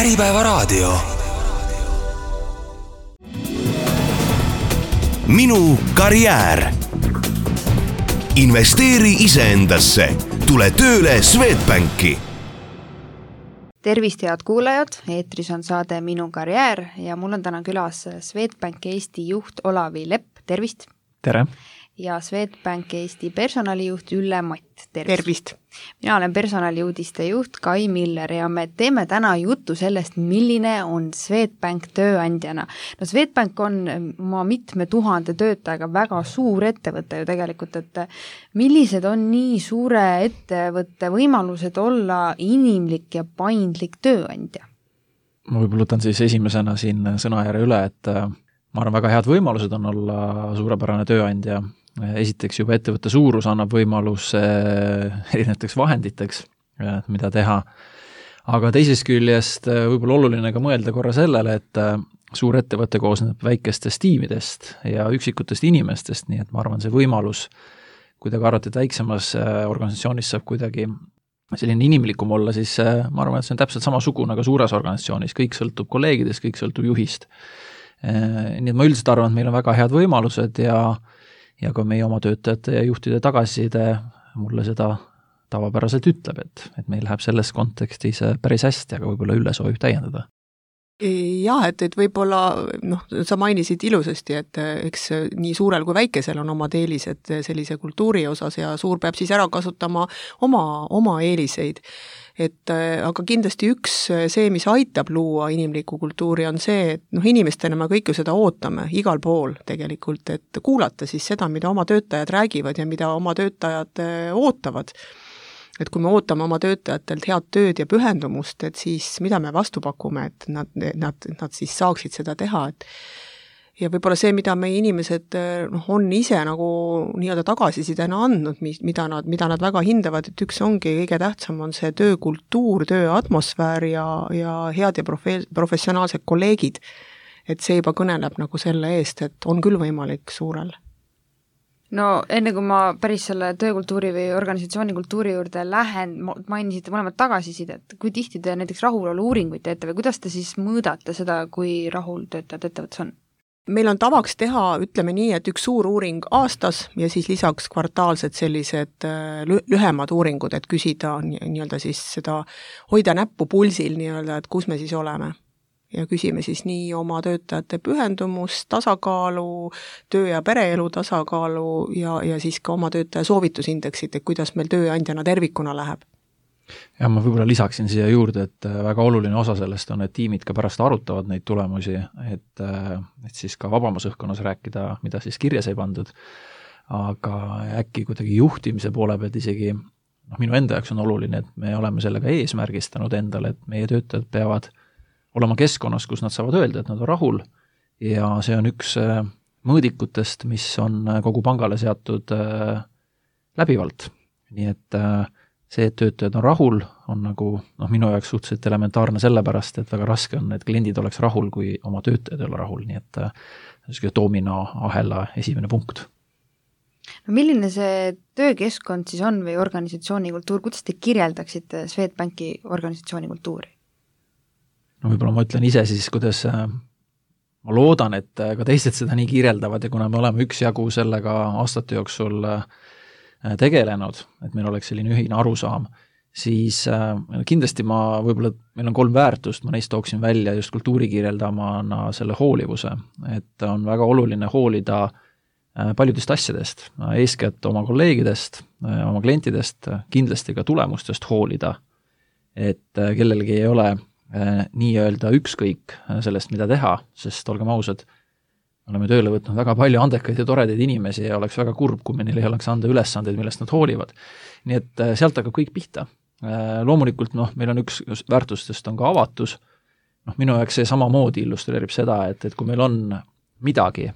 Äripäevaraadio. Minu karjäär. Investeeri iseendasse. Tule tööle Swedbanki. Tervist, head kuulajad, eetris on saade Minu karjäär ja mul on täna külas Swedbank Eesti juht Olavi Lepp, tervist! Tere! Ja Swedbank Eesti personalijuht Ülle Matt, tervist! Mina olen personaliuudiste juht Kai Miller ja me teeme täna juttu sellest, milline on Swedbank tööandjana. No Swedbank on oma mitme tuhande töötajaga väga suur ettevõte ju tegelikult, et millised on nii suure ettevõtte võimalused olla inimlik ja paindlik tööandja? Ma võib-olla võtan siis esimesena siin sõnajärje üle, et ma arvan, väga head võimalused on olla suurepärane tööandja. Esiteks juba ettevõtte suurus annab võimalus erinevateks vahenditeks, mida teha. Aga teisest küljest võib-olla oluline ka mõelda korra sellele, et suur ettevõte koosneb väikestest tiimidest ja üksikutest inimestest, nii et ma arvan, see võimalus, kui te arvate, et väiksemas organisatsioonis saab kuidagi selline inimlikum olla, siis ma arvan, et see on täpselt samasugune ka suures organisatsioonis, kõik sõltub kolleegidest, kõik sõltub juhist. Nii et ma üldiselt arvan, et meil on väga head võimalused ja ka meie oma töötajate ja juhtide tagasiside mulle seda tavapäraselt ütleb, et meil läheb selles kontekstis päris hästi, aga võib-olla Ülle soovib täiendada. Jah, et võib-olla, sa mainisid ilusasti, et eks nii suurel kui väikesel on omad eelised sellise kultuuri osas ja suur peab siis ära kasutama oma eeliseid. Aga kindlasti üks see, mis aitab luua inimliku kultuuri, on see, et inimestena me kõik ju seda ootame igal pool tegelikult, et kuulata siis seda, mida oma töötajad räägivad ja mida oma töötajad ootavad. Et kui me ootame oma töötajatelt head tööd ja pühendumust, et siis mida me vastu pakume, et nad siis saaksid seda teha, ja võib-olla see, mida meie inimesed on ise nagu nii-öelda tagasisidena andnud, mida nad väga hindavad, et üks ongi kõige tähtsam on see töökultuur, tööatmosfäär ja head ja professionaalsed kolleegid. Et see juba kõneleb nagu selle eest, et on küll võimalik suurel. No enne kui ma päris selle töökultuuri või organisatsioonikultuuri juurde lähen, mainisite mõlemad tagasisidet, kui tihti te näiteks rahulolu uuringuid teete või kuidas te siis mõõdate seda, kui rahul töötajad ettevõttes on? Meil on tavaks teha, ütleme nii, et üks suur uuring aastas ja siis lisaks kvartaalsed sellised lühemad uuringud, et küsida nii-öelda siis seda, hoida näppu pulsil nii-öelda, et kus me siis oleme. Ja küsime siis nii oma töötajate pühendumust, tasakaalu, töö- ja pereelu tasakaalu ja siis ka oma töötaja soovitusindeksit, et kuidas meil tööandjana tervikuna läheb. Ja ma võib-olla lisaksin siia juurde, et väga oluline osa sellest on, et tiimid ka pärast arutavad neid tulemusi, et siis ka vabamas õhkkonnas rääkida, mida siis kirjas ei pandud, aga äkki kuidagi juhtimise poole pealt isegi, minu enda jaoks on oluline, et me oleme sellega eesmärgistanud endale, et meie töötajad peavad olema keskkonnas, kus nad saavad öelda, et nad on rahul ja see on üks mõõdikutest, mis on kogu pangale seatud läbivalt. Nii et see, et töötajad on rahul, on nagu minu jaoks suhteliselt elementaarne sellepärast, et väga raske on, et kliendid oleks rahul, kui oma töötajad ei ole rahul, nii et domino ahela esimene punkt. No milline see töökeskkond siis on või organisatsioonikultuur, kuidas te kirjeldaksite Swedbanki organisatsioonikultuuri? No võib-olla ma ütlen ise siis, kuidas ma loodan, et ka teised seda nii kirjeldavad ja kuna me oleme üksjagu sellega aastate jooksul tegelenud, et meil oleks selline ühine arusaam, siis kindlasti meil on 3 väärtust, ma neist tooksin välja just kultuuri kirjeldamana selle hoolivuse, et on väga oluline hoolida paljudest asjadest, eeskätt oma kolleegidest, oma klientidest, kindlasti ka tulemustest hoolida, et kellelgi ei ole nii-öelda ükskõik sellest, mida teha, sest olgem ausad, oleme tööle võtnud väga palju andekaid ja toredaid inimesi ja oleks väga kurb, kui meil ei oleks anda ülesandeid, millest nad hoolivad. Nii et sealt hakkab kõik pihta. Loomulikult, meil on üks väärtustest on ka avatus. Minu jaoks see samamoodi illustreerib seda, et kui meil on midagi,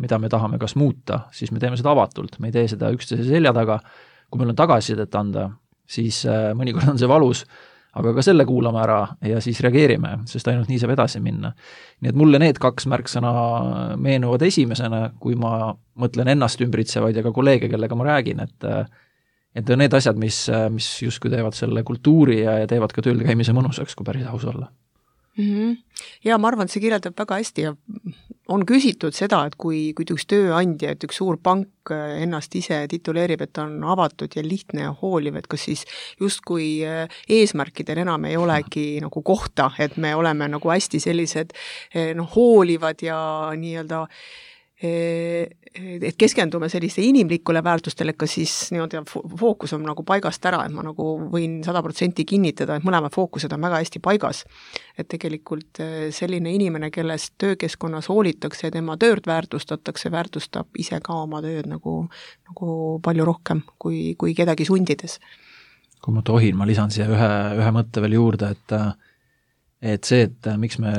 mida me tahame kas muuta, siis me teeme seda avatult. Me ei tee seda üksteise selja taga. Kui meil on tagasisidet anda, siis mõnikord on see valus, aga ka selle kuulame ära ja siis reageerime, sest ainult nii saab edasi minna. Nii et mulle need 2 märksõna meenuvad esimesena, kui ma mõtlen ennast ümbritsevaid ja ka kolleege, kellega ma räägin, et need asjad, mis justkui teevad selle kultuuri ja teevad ka tööl käimise mõnusaks, kui päris aus olla. Ja ma arvan, et see kirjeldab väga hästi ja on küsitud seda, et kui üks tööandja, et üks suur pank ennast ise tituleerib, et on avatud ja lihtne ja hooliv, et kas siis justkui eesmärkidel enam ei olegi nagu kohta, et me oleme nagu hästi sellised hoolivad ja nii-öelda et keskendume selliste inimlikule väärtustele, ka siis fookus on nagu paigast ära, et ma nagu võin 100% kinnitada, et mõlemad fookused on väga hästi paigas. Et tegelikult selline inimene, kellest töökeskkonnas hoolitakse ja tema tööd väärtustatakse, väärtustab ise ka oma tööd nagu palju rohkem kui kedagi sundides. Kui ma tohin, ma lisan siia ühe mõtte veel juurde, et see, et miks me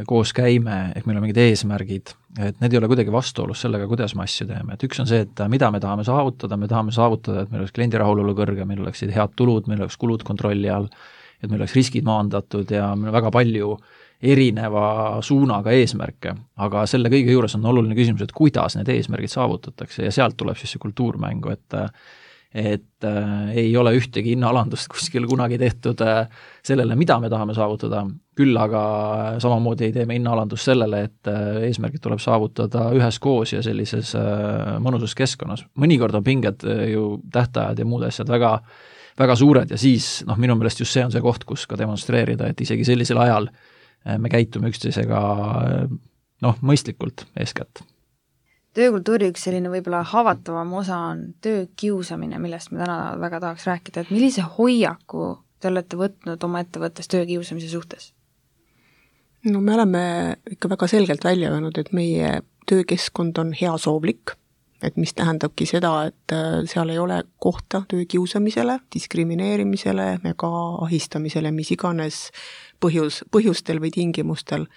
koos käime, ehk meil on mingid eesmärgid, et need ei ole kuidagi vastuolus sellega, kuidas me asju teeme. Et üks on see, et mida me tahame saavutada, et meil oleks kliendi rahulolu kõrge, meil oleksid head tulud, meil oleks kulud kontrolli all, et meil oleks riskid maandatud ja meil on väga palju erineva suunaga eesmärke, aga selle kõige juures on oluline küsimus, et kuidas need eesmärgid saavutatakse ja sealt tuleb siis see kultuurmängu, et ei ole ühtegi hinnaalandust kuskil kunagi tehtud sellele, mida me tahame saavutada, küll aga samamoodi ei tee me hinnaalandust sellele, et eesmärgid tuleb saavutada üheskoos ja sellises mõnusas keskkonnas. Mõnikord on pinged ju tähtajad ja muud asjad väga suured ja siis minu meelest just see on see koht, kus ka demonstreerida, et isegi sellisel ajal me käitume üksteisega mõistlikult eeskätt. Töökultuuri üks selline võib-olla haavatavam osa on töökiusamine, millest me täna väga tahaks rääkida, et millise hoiaku te olete võtnud oma ettevõttes töökiusamise suhtes? No me oleme ikka väga selgelt välja öelnud, et meie töökeskkond on heasoovlik, et mis tähendabki seda, et seal ei ole kohta töökiusamisele, diskrimineerimisele ega ahistamisele, mis iganes põhjustel või tingimustel.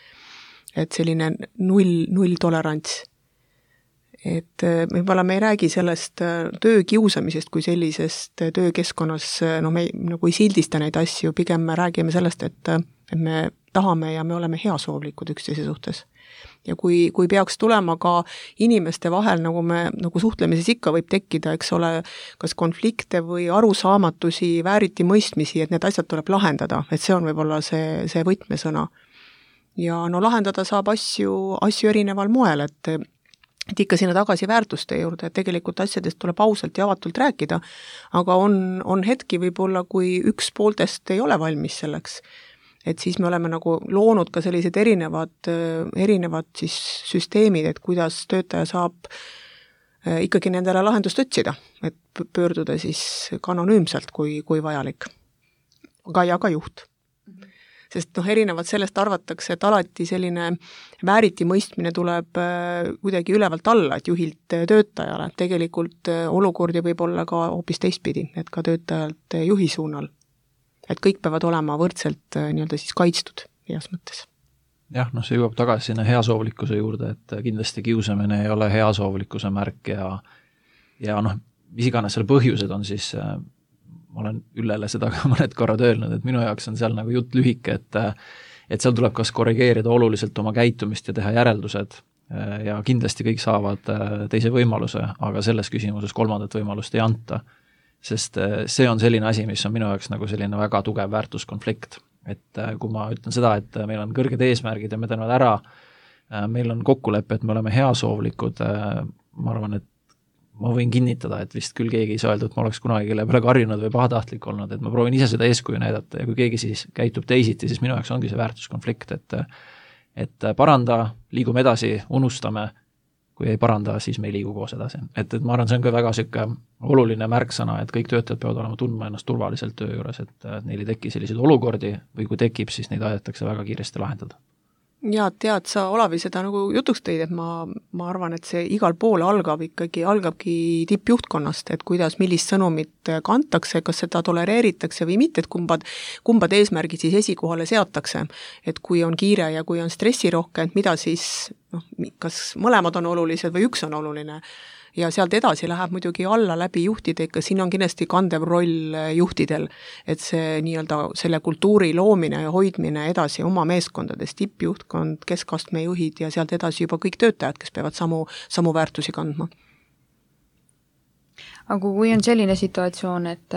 Et selline null tolerants. Et võib-olla me ei räägi sellest töökiusamisest kui sellisest töökeskkonnas, me nagu ei sildista neid asju, pigem me räägime sellest, et me tahame ja me oleme heasoovlikud üksteise suhtes. Ja kui peaks tulema ka inimeste vahel, nagu suhtlemises ikka võib tekkida, eks ole, kas konflikte või arusaamatusi, vääriti mõistmisi, et need asjad tuleb lahendada, et see on võib-olla see võtmesõna. Ja lahendada saab asju erineval moel, et ikka sinna tagasi väärtuste juurde, et tegelikult asjadest tuleb ausalt ja avatult rääkida, aga on hetki võib-olla, kui üks pooltest ei ole valmis selleks. Et siis me oleme nagu loonud ka sellised erinevad siis süsteemid, et kuidas töötaja saab ikkagi nendele lahendust otsida, et pöörduda siis ka anonüümselt, kui vajalik. Ja ka juht. Sest erinevalt sellest arvatakse, et alati selline vääriti mõistmine tuleb kuidagi ülevalt alla, et juhilt töötajale. Tegelikult olukordi võib olla ka hoopis teistpidi, et ka töötajalt juhi suunal. Et kõik peavad olema võrdselt nii-öelda siis kaitstud heas mõttes. Jah, see jõuab tagasi sinna heasoovlikkuse juurde, et kindlasti kiusamine ei ole heasoovlikkuse märk ja mis iganes selle põhjused on siis ma olen Üllele seda ka mõned korrad öelnud, et minu jaoks on seal nagu jutt lühike, et seal tuleb kas korrigeerida oluliselt oma käitumist ja teha järeldused ja kindlasti kõik saavad teise võimaluse, aga selles küsimuses kolmandat võimalust ei anta, sest see on selline asi, mis on minu jaoks nagu selline väga tugev väärtuskonflikt, et kui ma ütlen seda, et meil on kõrged eesmärgid ja me teeme ära, meil on kokkulepe, et me oleme heasoovlikud, ma arvan, et ma võin kinnitada, et vist küll keegi ei saa öelda, et ma oleks kunagi kelle peale karjunud või pahatahtlik olnud, et ma proovin ise seda eeskuju näidata ja kui keegi siis käitub teisiti, siis minu jaoks ongi see väärtuskonflikt, et paranda, liigume edasi, unustame, kui ei paranda, siis me ei liigu koos edasi. Et ma arvan, see on ka väga selline oluline märksõna, et kõik töötajad peavad olema tundma ennast turvaliselt töö juures, et neil ei teki selliseid olukordi või kui tekib, siis neid aidatakse väga kiiresti lahendada. Ja tead, sa Olavi seda nagu jutuks tõid, et ma arvan, et see igal pool algabki tippjuhtkonnast, et kuidas, millist sõnumit kantakse, kas seda tolereeritakse või mitte, et kumbad eesmärgid siis esikohale seatakse, et kui on kiire ja kui on stressirohke, et mida siis, kas mõlemad on olulised või üks on oluline. Ja sealt edasi läheb muidugi alla läbi juhtide, ikka siin on kindlasti kandev roll juhtidel, et see nii-öelda selle kultuuri loomine ja hoidmine edasi oma meeskondades, tippjuhtkond, keskastme juhid ja sealt edasi juba kõik töötajad, kes peavad samu väärtusi kandma. aga kui on selline situatsioon, et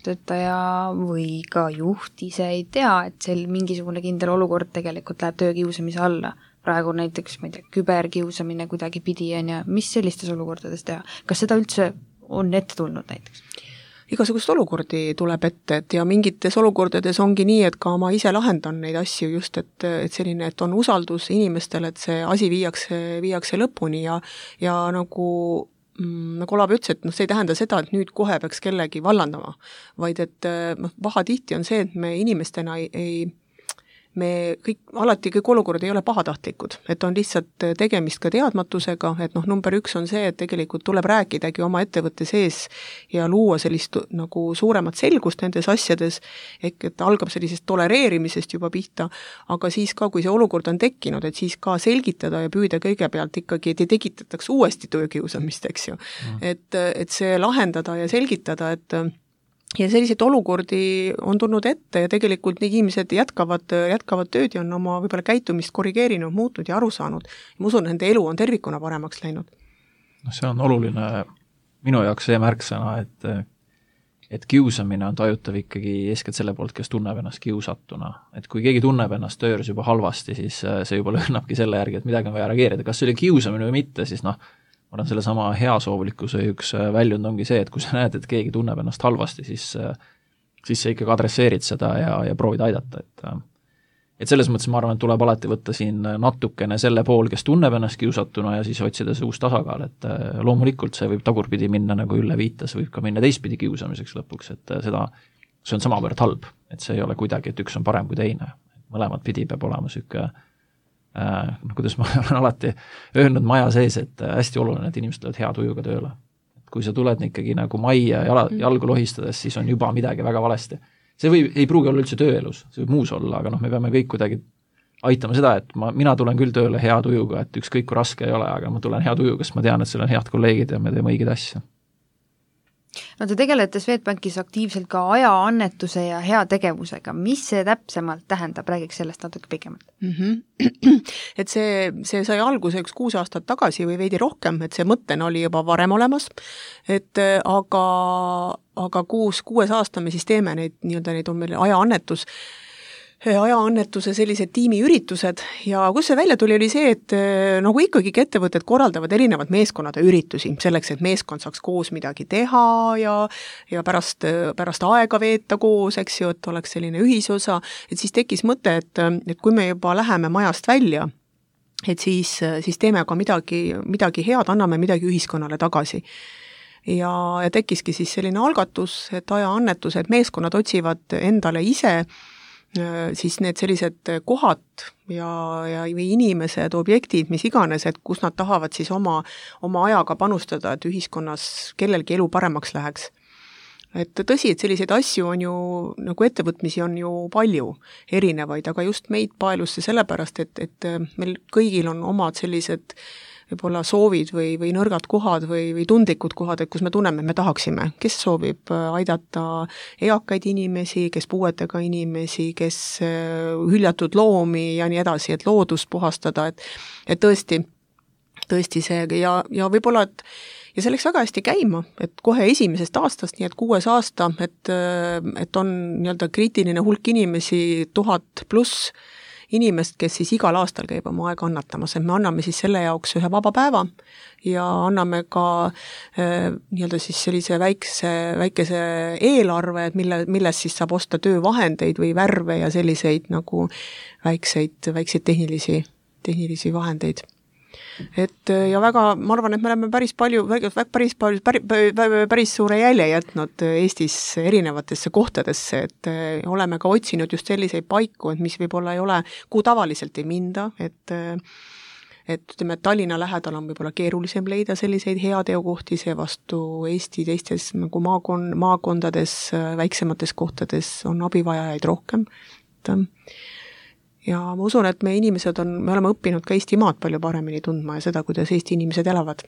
töötaja või ka juht ise ei tea, et mingisugune kindel olukord tegelikult läheb töökiusamise alla, praegu näiteks, ma ei tea, küberkiusamine kuidagi pidi on ja mis sellistes olukordades teha? Kas seda üldse on ette tulnud näiteks? Igasugust olukordi tuleb ette, et ja mingites olukordades ongi nii, et ka ma ise lahendan neid asju just, et selline, et on usaldus inimestele, et see asi viiakse lõpuni ja nagu Olav ütles, et see ei tähenda seda, et nüüd kohe peaks kellegi vallandama, vaid et pahatihti on see, et me inimestena alati kõik olukorrad ei ole pahatahtlikud, et on lihtsalt tegemist ka teadmatusega, et number 1 on see, et tegelikult tuleb rääkidagi oma ettevõtte sees ja luua sellist nagu suuremat selgust nendes asjades, ehk et algab sellisest tolereerimisest juba pihta, aga siis ka, kui see olukord on tekkinud, et siis ka selgitada ja püüda kõigepealt ikkagi, et ei tekitataks uuesti töökiusamist, eks ju. Et see lahendada ja selgitada, ja selliseid olukordi on tulnud ette ja tegelikult need inimesed jätkavad tööd ja on oma võib-olla käitumist korrigeerinud, muutnud ja aru saanud. Ma usun, nende elu on tervikuna paremaks läinud. See on oluline minu jaoks see märksõna, et kiusamine on tajutav ikkagi eeskätt selle poolt, kes tunneb ennast kiusatuna. Et kui keegi tunneb ennast töös juba halvasti, siis see juba lõhnabki selle järgi, et midagi on vaja reageerida. Kas see oli kiusamine või mitte, siis ma arvan, selle sama heasoovlikkuse üks väljund ongi see, et kui sa näed, et keegi tunneb ennast halvasti, siis sa ikkagi adresseerid seda ja proovid aidata. Et selles mõttes ma arvan, et tuleb alati võtta siin natukene selle pool, kes tunneb ennast kiusatuna ja siis otsida see uus tasakaal, et loomulikult see võib tagurpidi minna, nagu Ülle viitas, võib ka minna teistpidi kiusamiseks lõpuks, et see on samavõrd halb, et see ei ole kuidagi, et üks on parem kui teine. Mõlemad pidi peab olema selline kuidas ma olen alati öelnud maja sees, et hästi oluline, et inimesed tulevad hea tujuga tööle. Et kui sa tuled ikkagi nagu majja jalgu lohistades, siis on juba midagi väga valesti. See ei pruugi olla üldse tööelus, see võib muus olla, aga me peame kõik kuidagi aitama seda, et mina tulen küll tööle hea tujuga, et ükskõik kui raske ei ole, aga ma tulen hea tujuga, sest ma tean, et seal on head kolleegid ja me teeme õigeid asju. No te tegelete Swedbankis aktiivselt ka ajaannetuse ja hea tegevusega. Mis see täpsemalt tähendab? Räägiks sellest natuke pikemalt. Et see sai alguse 6 aastat tagasi või veidi rohkem, et see mõttena oli juba varem olemas, et aga 6 aasta me siis teeme neid on meil ajaannetuse sellised tiimiüritused ja kus see välja tuli, oli see, et nagu ikkagi ettevõtted korraldavad erinevad meeskonnade üritusi selleks, et meeskond saaks koos midagi teha ja pärast aega veeta koos, eks ju, et oleks selline ühisosa, et siis tekkis mõte, et kui me juba läheme majast välja, et siis teeme ka midagi head, anname midagi ühiskonnale tagasi. Ja tekkiski siis selline algatus, et ajaannetused, meeskonnad otsivad endale ise siis need sellised kohad või inimesed, objektid, mis iganes, et kus nad tahavad siis oma ajaga panustada, et ühiskonnas kellelgi elu paremaks läheks. Et tõsi, et selliseid asju on ju, nagu ettevõtmisi on ju palju erinevaid, aga just meid paelus see sellepärast, et meil kõigil on omad sellised võib-olla soovid või nõrgad kohad või tundlikud kohad, et kus me tunneme, me tahaksime, kes soovib aidata eakaid inimesi, kes puuetega inimesi, kes hüljatud loomi ja nii edasi, et loodust puhastada, et tõesti see ja võib-olla, ja see läks väga hästi käima, et kohe esimesest aastast, nii et 6 aasta, et on nii-öelda kriitiline hulk inimesi, 1000+ inimest, kes siis igal aastal käib oma aega annatamas, et me anname siis selle jaoks ühe vaba päeva ja anname ka nii-öelda siis sellise väikese eelarve, et milles siis saab osta töövahendeid või värve ja selliseid nagu väikseid tehnilisi vahendeid. Et ja väga, ma arvan, et me oleme päris suure jälje jätnud Eestis erinevatesse kohtadesse, et oleme ka otsinud just selliseid paiku, et mis võib-olla ei ole, kuhu tavaliselt ei minda, et ütleme, et Tallinna lähedal on võib-olla keerulisem leida selliseid heateokohti, seevastu Eesti teistes nagu maakondades, väiksemates kohtades on abivajajaid rohkem, ja ma usun, et me oleme õppinud ka Eesti maad palju paremini tundma ja seda, kuidas Eesti inimesed elavad.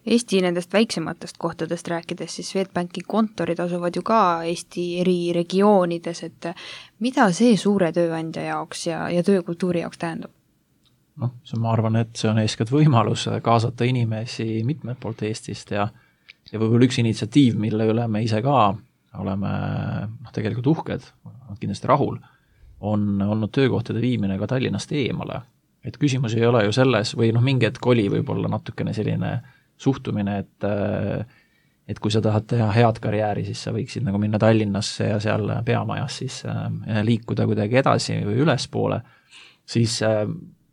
Eesti nendest väiksematest kohtadest rääkides, siis Swedbanki kontorid asuvad ju ka Eesti eri regioonides, et mida see suure tööandja jaoks ja töökultuuri jaoks tähendab? ma arvan, et see on eeskätt võimalus kaasata inimesi mitmelt poolt Eestist ja võib-olla üks initsiatiiv, mille üle me ise ka oleme tegelikult uhked, kindlasti rahul, on olnud töökohtade viimine ka Tallinnast eemale. Et küsimus ei ole ju selles, või mingi hetk oli võib-olla natukene selline suhtumine, et kui sa tahad teha head karjääri, siis sa võiksid nagu minna Tallinnasse ja seal peamajas siis liikuda kuidagi edasi või ülespoole, siis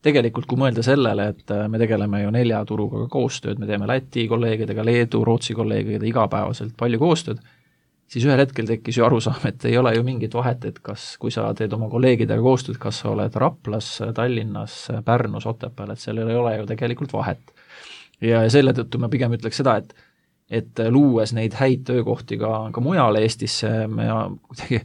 tegelikult kui mõelda sellele, et me tegeleme ju 4 turuga koostööd, me teeme Läti kolleegidega, Leedu, Rootsi kolleegidega igapäevaselt palju koostööd, siis ühel hetkel tekkis ju arusaam, et ei ole ju mingit vahet, et kui sa teed oma kolleegidega koostööd, kas sa oled Raplas, Tallinnas, Pärnus, Otepääl, et sellel ei ole ju tegelikult vahet. Ja selle tõttu ma pigem ütleks seda, et luues neid häid töökohti ka mujal Eestisse, me kuidagi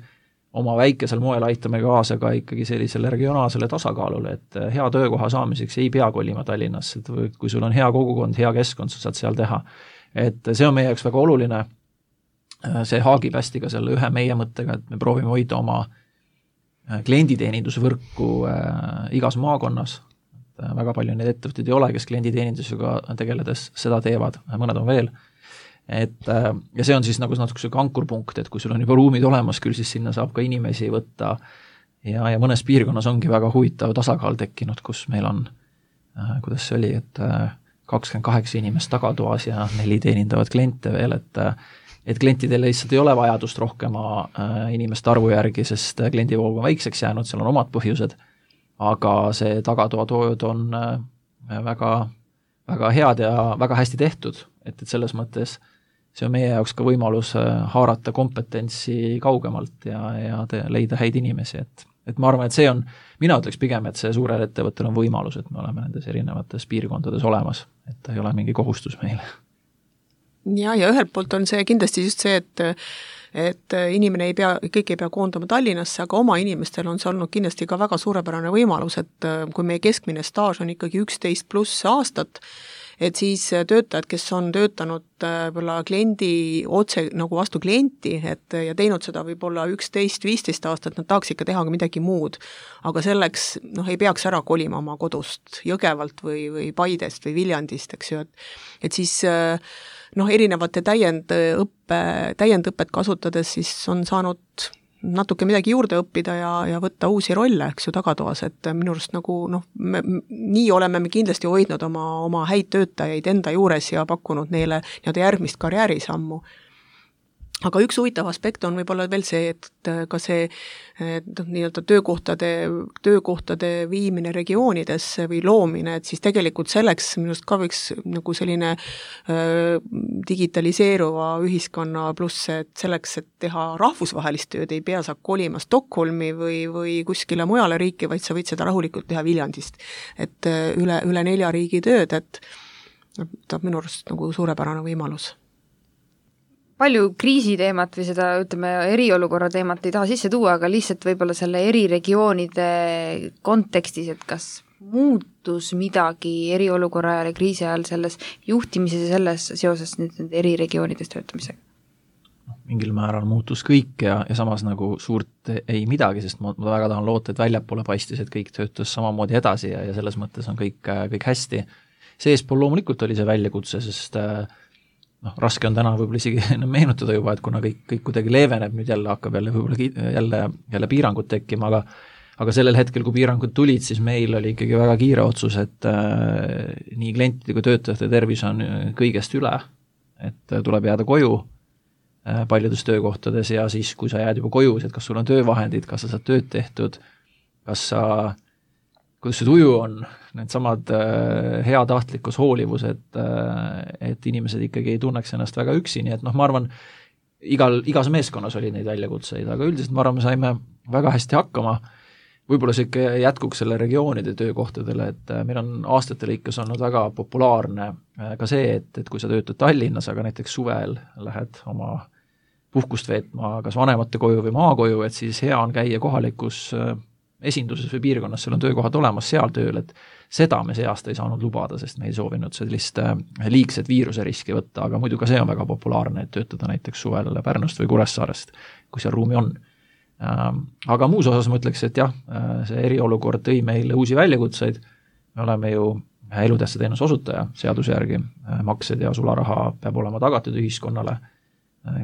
oma väikesel moel aitame kaasa ka ikkagi sellisele regionaalsele tasakaalule, et hea töökoha saamiseks ei pea kolima Tallinnasse, et kui sul on hea kogukond, hea keskkond, sa saad seal teha. Et see on meie jaoks väga oluline, see haagib hästi ka selle ühe meie mõttega, et me proovime hoida oma klienditeenindusvõrku igas maakonnas. Väga palju neid ettevõtteid ei ole, kes klienditeenindusega tegeledes seda teevad, mõned on veel. Ja see on siis nagu natuke ankurpunkt, et kui sul on juba ruumid olemas, küll siis sinna saab ka inimesi võtta ja mõnes piirkonnas ongi väga huvitav tasakaal tekkinud, kus meil on, kuidas see oli, et 28 inimest tagatoas ja 4 teenindavad kliente veel, et klientidel lihtsalt ei ole vajadust rohkema inimeste arvu järgi, sest kliendivoog on väikseks jäänud, seal on omad põhjused, aga see tagatoatoojad on väga, väga head ja väga hästi tehtud, et selles mõttes see on meie jaoks ka võimalus haarata kompetentsi kaugemalt ja leida häid inimesi, et ma arvan, et see on, mina ütleks pigem, et see suurel ettevõttel on võimalus, et me oleme nendes erinevates piirkondades olemas, et ei ole mingi kohustus meile. Ja ühelt poolt on see kindlasti just see, et inimene kõik ei pea koondama Tallinnasse, aga oma inimestel on see olnud kindlasti ka väga suurepärane võimalus, et kui meie keskmine staaž on ikkagi 11+ aastat, et siis töötajad, kes on töötanud võib-olla kliendi otse nagu vastu klienti, ja teinud seda võib-olla 11-15 aastat, nad tahaks ikka teha ka midagi muud. Aga selleks ei peaks ära kolima oma kodust Jõgevalt või Paidest või Viljandist, eks ju, et siis erinevate täiendõpet kasutades siis on saanud natuke midagi juurde õppida ja võtta uusi rolle, eks ju, tagatoas, et minu arust nagu nii oleme me kindlasti hoidnud oma häid töötajaid enda juures ja pakkunud neile järgmist karjäärisammu. Aga üks huvitav aspekt on võib-olla veel see, et ka see nii-öelda töökohtade viimine regioonidesse või loomine, et siis tegelikult selleks minust ka võiks nagu selline digitaliseeruva ühiskonna pluss, et selleks, et teha rahvusvahelist tööd, ei pea sa kolima Stockholmi või kuskile mujale riiki, vaid sa võid seda rahulikult teha Viljandist. Et üle 4 riigi tööd, et ta minu arust nagu suurepärane võimalus. Palju kriisiteemat või seda, ütleme, eriolukorra teemat ei taha sisse tuua, aga lihtsalt võib-olla selle eriregioonide kontekstis, et kas muutus midagi eriolukorra ajal ja kriisi ajal selles juhtimises ja selles seoses nüüd eriregioonides töötamisega? Mingil määral muutus kõik ja samas nagu suurt ei midagi, sest ma väga tahan loota, et väljapoole paistis, et kõik töötas samamoodi edasi ja selles mõttes on kõik hästi. Seespool loomulikult oli see väljakutse, sest raske on täna võib-olla isegi meenutada juba, et kuna kõik kuidagi leeveneb, nüüd jälle hakkab jälle piirangud tekkima, aga sellel hetkel, kui piirangud tulid, siis meil oli ikkagi väga kiire otsus, et nii klientide kui töötajate tervis on kõigest üle, et tuleb jääda koju paljudes töökohtades ja siis, kui sa jääd juba koju, et kas sul on töövahendid, kas sa saad tööd tehtud, kuidas see tuju on, need samad heatahtlikkus, hoolivus, et inimesed ikkagi ei tunneks ennast väga üksi, nii et ma arvan, igas meeskonnas oli neid väljakutseid, aga üldiselt ma arvan, me saime väga hästi hakkama, võib-olla see ikka jätkuks selle regioonide töökohtadele, et meil on aastate lõikes olnud väga populaarne ka see, et kui sa töötad Tallinnas, aga näiteks suvel lähed oma puhkust veetma kas vanemate koju või maakoju, et siis hea on käia kohalikus esinduses või piirkonnas, seal on töökohad olemas seal tööl, et seda me see aasta ei saanud lubada, sest me ei soovinud sellist liigset viiruseriski võtta, aga muidu ka see on väga populaarne, et töötada näiteks suvel Pärnust või Kuressaarest, kui seal ruumi on. Aga muus osas ma ütleks, et jah, see eriolukord tõi meile uusi väljakutseid, me oleme ju elutähtsa teenuse osutaja seaduse järgi, maksed ja sularaha peab olema tagatud ühiskonnale,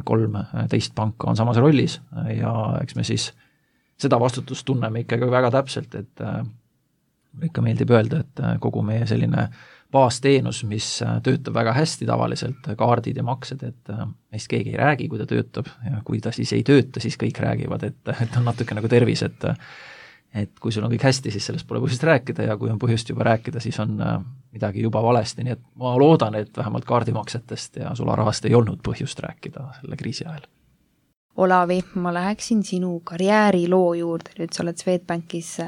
13 panka on samas rollis ja eks me siis seda vastutust tunneme ikkagi väga täpselt, et ikka meeldib öelda, et kogu meie selline baasteenus, mis töötab väga hästi tavaliselt, kaardid ja maksed, et meist keegi ei räägi, kui ta töötab ja kui ta siis ei tööta, siis kõik räägivad, et on natuke nagu tervis, et kui sul on kõik hästi, siis sellest pole põhjust rääkida ja kui on põhjust juba rääkida, siis on midagi juba valesti, nii et ma loodan, et vähemalt kaardimaksetest ja sularahast ei olnud põhjust rääkida selle kriisi ajal. Olavi, ma läheksin sinu karjääriloo juurde, nüüd sa oled Swedbankis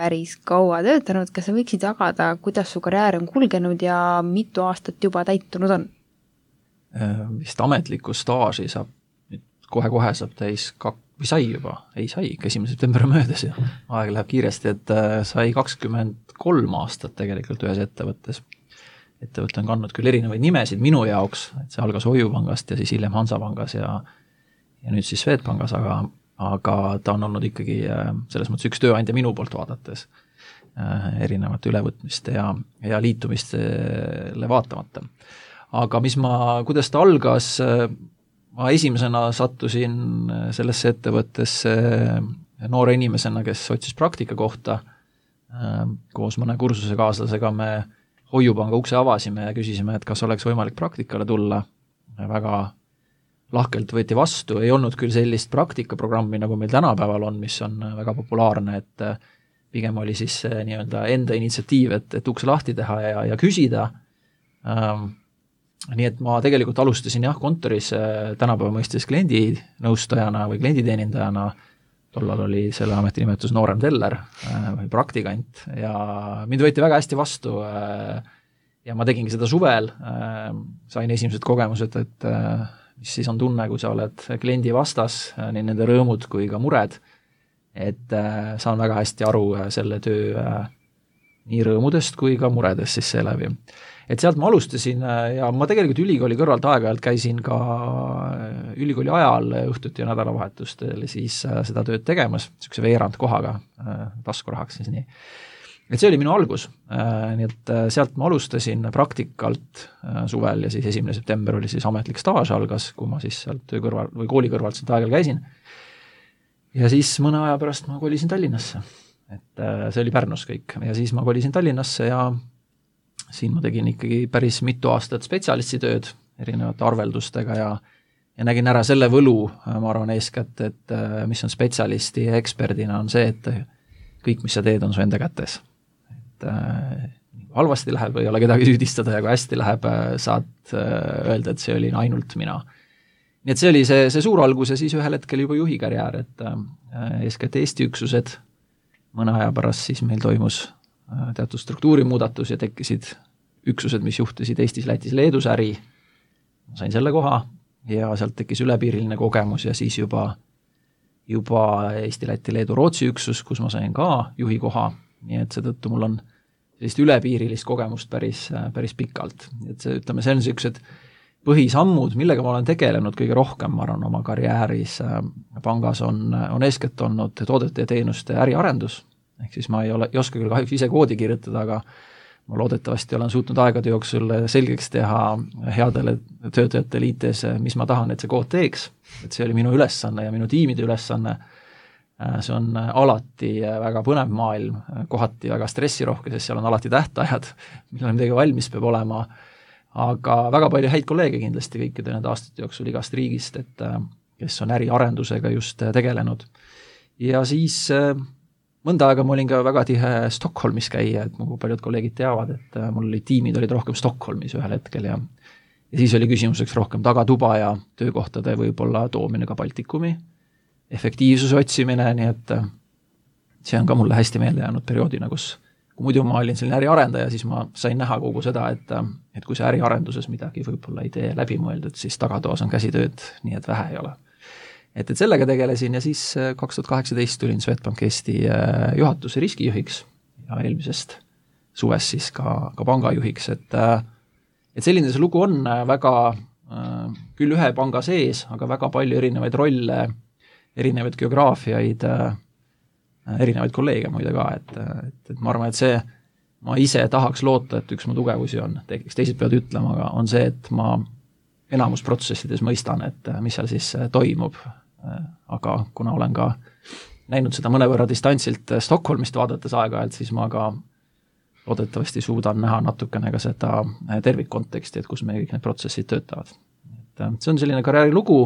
päris kaua töötanud, kas sa võiksid jagada, kuidas su karjäär on kulgenud ja mitu aastat juba täitunud on? Vist ametlikku staaži saab, nüüd kohe-kohe saab täis või sai juba, ei sai, 1. september möödas ja aeg läheb kiiresti, et sai 23 aastat tegelikult ühes ettevõttes. Ettevõte on kandnud küll erinevaid nimesid minu jaoks, et see algas Hoiupangast ja siis hiljem Hansapangas ja nüüd siis Swedbankas, aga ta on olnud ikkagi selles mõttes üks tööandja minu poolt vaadates erinevate ülevõtmiste ja liitumistele vaatamata. Aga kuidas ta algas, ma esimesena sattusin sellesse ettevõttesse noore inimesena, kes otsis praktika kohta. Koos mõne kursusekaaslasega me Hoiupanga ukse avasime ja küsisime, et kas oleks võimalik praktikale tulla. Väga lahkelt võeti vastu, ei olnud küll sellist praktikaprogrammi, nagu meil tänapäeval on, mis on väga populaarne, et pigem oli siis nii-öelda enda initsiatiiv, et ukse lahti teha ja küsida. Nii et ma tegelikult alustasin kontoris tänapäeva mõistes kliendinõustajana või klienditeenindajana, tollal oli selle ametinimetus noorem teller või praktikant ja mind võeti väga hästi vastu ja ma tegingi seda suvel, sain esimesed kogemused, et mis siis on tunne, kui sa oled kliendi vastas, nii nende rõõmud kui ka mured, et saan väga hästi aru selle töö nii rõõmudest kui ka muredest siis seeläbi. Et sealt ma alustasin ja ma tegelikult ülikooli kõrvalt aeg-ajalt käisin ka ülikooli ajal õhtuti ja nädalavahetustel siis seda tööd tegemas, niisuguse veerandkohaga, taskurahaks siis nii. Et see oli minu algus, nii et sealt ma alustasin praktikalt suvel ja siis 1. september oli siis ametlik staaž algas, kui ma siis sealt töö kõrval või kooli kõrvalt sealt aeg-ajal käisin. Ja siis mõne aja pärast ma kolisin Tallinnasse, et see oli Pärnus kõik ja siis ma kolisin Tallinnasse ja siin ma tegin ikkagi päris mitu aastat spetsialistitööd erinevate arveldustega ja nägin ära selle võlu, ma arvan eeskätt, et mis on spetsialisti ja eksperdina on see, et kõik, mis sa teed, on su enda kätes. Et halvasti läheb, ei ole kedagi süüdistada ja kui hästi läheb, saad öelda, et see oli ainult mina. Nii et see oli see suur algus ja siis ühel hetkel juba juhi karjäär, et eeskätt Eesti üksused, mõne aja pärast siis meil toimus teatud struktuurimuudatus ja tekkisid üksused, mis juhtisid Eestis, Lätis, Leedus äri. Ma sain selle koha ja sealt tekkis ülepiiriline kogemus ja siis juba Eesti, Läti, Leedu, Rootsi üksus, kus ma sain ka juhi koha, nii et seetõttu mul on sellist ülepiirilist kogemust päris pikalt. Et see on sellised põhisammud, millega ma olen tegelenud kõige rohkem, ma arvan, oma karjääris pangas on eeskätt olnud toodete ja teenuste äriarendus. Ehk siis ma ei oska küll kahjuks ise koodi kirjutada, aga ma loodetavasti olen suutnud aegade jooksul selgeks teha headele töötajatele IT-s, mis ma tahan, et see kood teeks. Et see oli minu ülesanne ja minu tiimide ülesanne. See on alati väga põnev maailm, kohati väga stressirohke, sest seal on alati tähtajad, millal midagi valmis peab olema, aga väga palju häid kolleege kindlasti kõikide nende aastate jooksul igast riigist, et kes on äriarendusega just tegelenud. Ja siis mõnda aega ma olin ka väga tihe Stockholmis käia, et mu paljud kolleegid teavad, et mul tiimid olid rohkem Stockholmis ühel hetkel ja siis oli küsimuseks rohkem tagatuba ja töökohtade võib-olla toomine ka Baltikumi, efektiivsuse otsimine, nii et see on ka mulle hästi meelde jäänud perioodina, kus kui muidu ma olin selline äriarendaja, siis ma sain näha kogu seda, et kui see äriarenduses midagi võib-olla ei tee läbimõeldud, siis tagatoas on käsitööd, nii et vähe ei ole. Et sellega tegelesin ja siis 2018 tulin Swedbank Eesti juhatuse riskijuhiks ja eelmisest suvest siis ka pangajuhiks, et selline see lugu on väga küll ühe panga sees, aga väga palju erinevaid rolle, erinevaid geograafiaid, erinevaid kolleege muide ka, et ma arvan, et see ma ise tahaks loota, et üks mu tugevusi on, teised peavad ütlema, aga on see, et ma enamus protsessides mõistan, et mis seal siis toimub, aga kuna olen ka näinud seda mõnevõrra distantsilt Stockholmist vaadates aeg-ajalt, siis ma ka loodetavasti suudan näha natukene ka seda tervikkonteksti, et kus meie kõik need protsessid töötavad. Et see on selline karjäärilugu,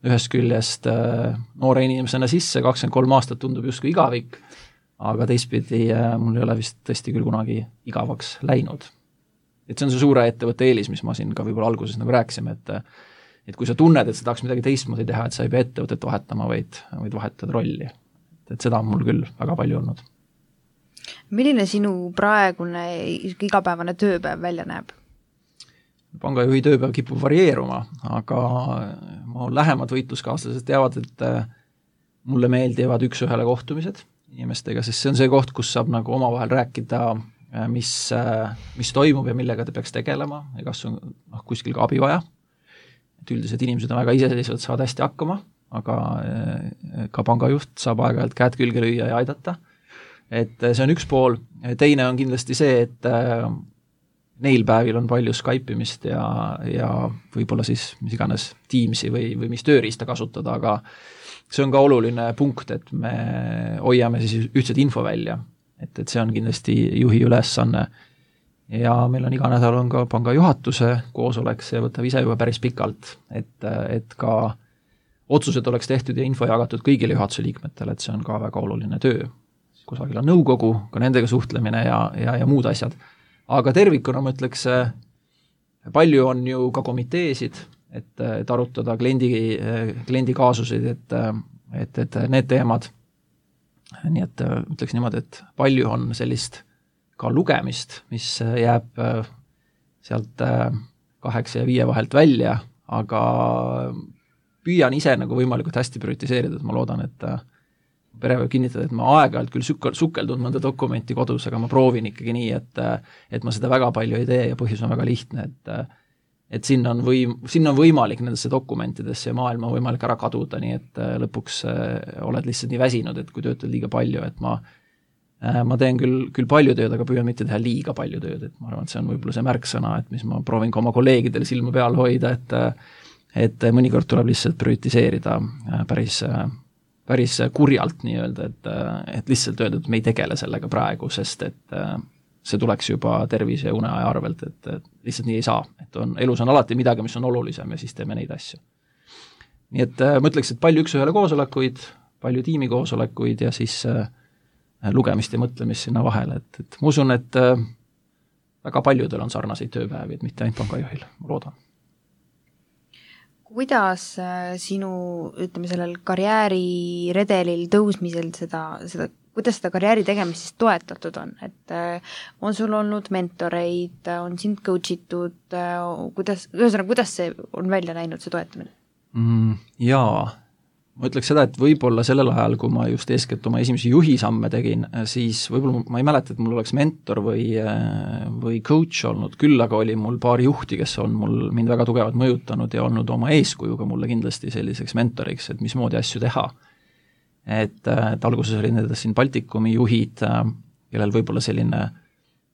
ühest küljest noore inimesena sisse, 23 aastat tundub justkui igavik, aga teistpidi mul ei ole vist tõesti küll kunagi igavaks läinud. Et see on see suure ettevõtte eelis, mis ma siin ka võib-olla alguses nagu rääkisime, et kui sa tunned, et sa tahaks midagi teistmoodi teha, et sa ei pea ettevõtet vahetama, vaid vahetad rolli. Et seda on mul küll väga palju olnud. Milline sinu praegune igapäevane tööpäev välja näeb? Pangajuhi tööpäev kipub varieeruma, aga mu lähemad võitluskaaslased teavad, et mulle meeldivad üks-ühele kohtumised inimestega, sest see on see koht, kus saab nagu omavahel rääkida, mis toimub ja millega te peaks tegelema ja kas on kuskil ka abi vaja. Et üldiselt inimesed on väga iseseisvad, saavad hästi hakkama, aga ka pangajuht saab aeg-ajalt käed külge lüüa ja aidata. Et see on üks pool, teine on kindlasti see, et neil päevil on palju Skype'imist ja võib-olla siis mis iganes Teamsi või mis tööriista kasutada, aga see on ka oluline punkt, et me hoiame siis ühtset info välja, et see on kindlasti juhi ülesanne ja meil on iga nädal on ka panga juhatuse koosolek, see võtab ise juba päris pikalt, et ka otsused oleks tehtud ja info jagatud kõigile juhatuse liikmetele, et see on ka väga oluline töö. Kusagil on nõukogu, ka nendega suhtlemine ja muud asjad. Aga tervikuna ma ütleks, palju on ju ka komiteesid, et arutada kliendi kaasuseid, et need teemad. Nii et ütleks niimoodi, et palju on sellist ka lugemist, mis jääb sealt 8 ja 5 vahelt välja, aga püüan ise nagu võimalikult hästi prioritiseerida, et ma loodan, et pere võib kinnitada, et ma aeg-ajalt küll sukeldun mõnda dokumenti kodus, aga ma proovin ikkagi nii, et ma seda väga palju ei tee ja põhjus on väga lihtne, et sinna on võimalik nendesse dokumentidesse ja maailma on võimalik ära kaduda, nii et lõpuks oled lihtsalt nii väsinud, et kui töötad liiga palju, et ma teen küll palju tööd, aga püüan mitte teha liiga palju tööd, et ma arvan, et see on võib-olla see märksõna, et mis ma proovin ka oma kolleegidele silma peal hoida, et mõnikord tuleb lihtsalt prioritiseerida päris kurjalt nii-öelda, et lihtsalt öelda, et me ei tegele sellega praegu, sest et see tuleks juba tervise ja uneaja arvelt, et lihtsalt nii ei saa, et elus on alati midagi, mis on olulisem ja siis teeme neid asju. Nii et ma ütleks, et palju üks-ühele koosolekuid, palju tiimikoosolekuid ja siis lugemist ja mõtlemist sinna vahele, et ma usun, et väga paljudel on sarnaseid tööpäevi, et mitte ainult pangajuhil, ma loodan. Kuidas sinu, ütleme, sellel karjääriredelil tõusmisel kuidas seda karjääri tegemist siis toetatud on, et on sul olnud mentoreid, on sind coach itud, kuidas see on välja näinud, see toetamine? Jaa, ma ütleks seda, et võib-olla sellel ajal, kui ma just eeskätt oma esimesi juhisamme tegin, siis võib-olla ma ei mäleta, et mul oleks mentor või coach olnud, küll aga oli mul paar juhti, kes on mind väga tugevalt mõjutanud ja olnud oma eeskujuga mulle kindlasti selliseks mentoriks, et mismoodi asju teha. Et alguses oli need siin Baltikumi juhid, kellel võib-olla selline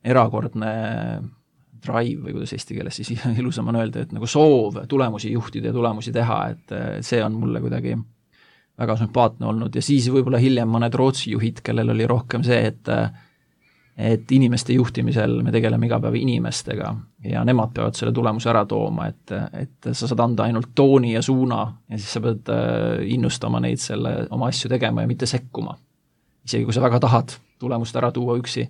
erakordne drive või kuidas eesti keeles siis ilusam on öelda, et nagu soov tulemusi juhtida ja tulemusi teha, et see on mulle kuidagi väga sümpaatne olnud ja siis võib-olla hiljem mõned Rootsi juhid, kellel oli rohkem see, et inimeste juhtimisel me tegeleme iga päev inimestega ja nemad peavad selle tulemuse ära tooma, et sa saad anda ainult tooni ja suuna ja siis sa pead innustama neid selle oma asju tegema ja mitte sekkuma. Isegi kui sa väga tahad tulemust ära tuua üksi,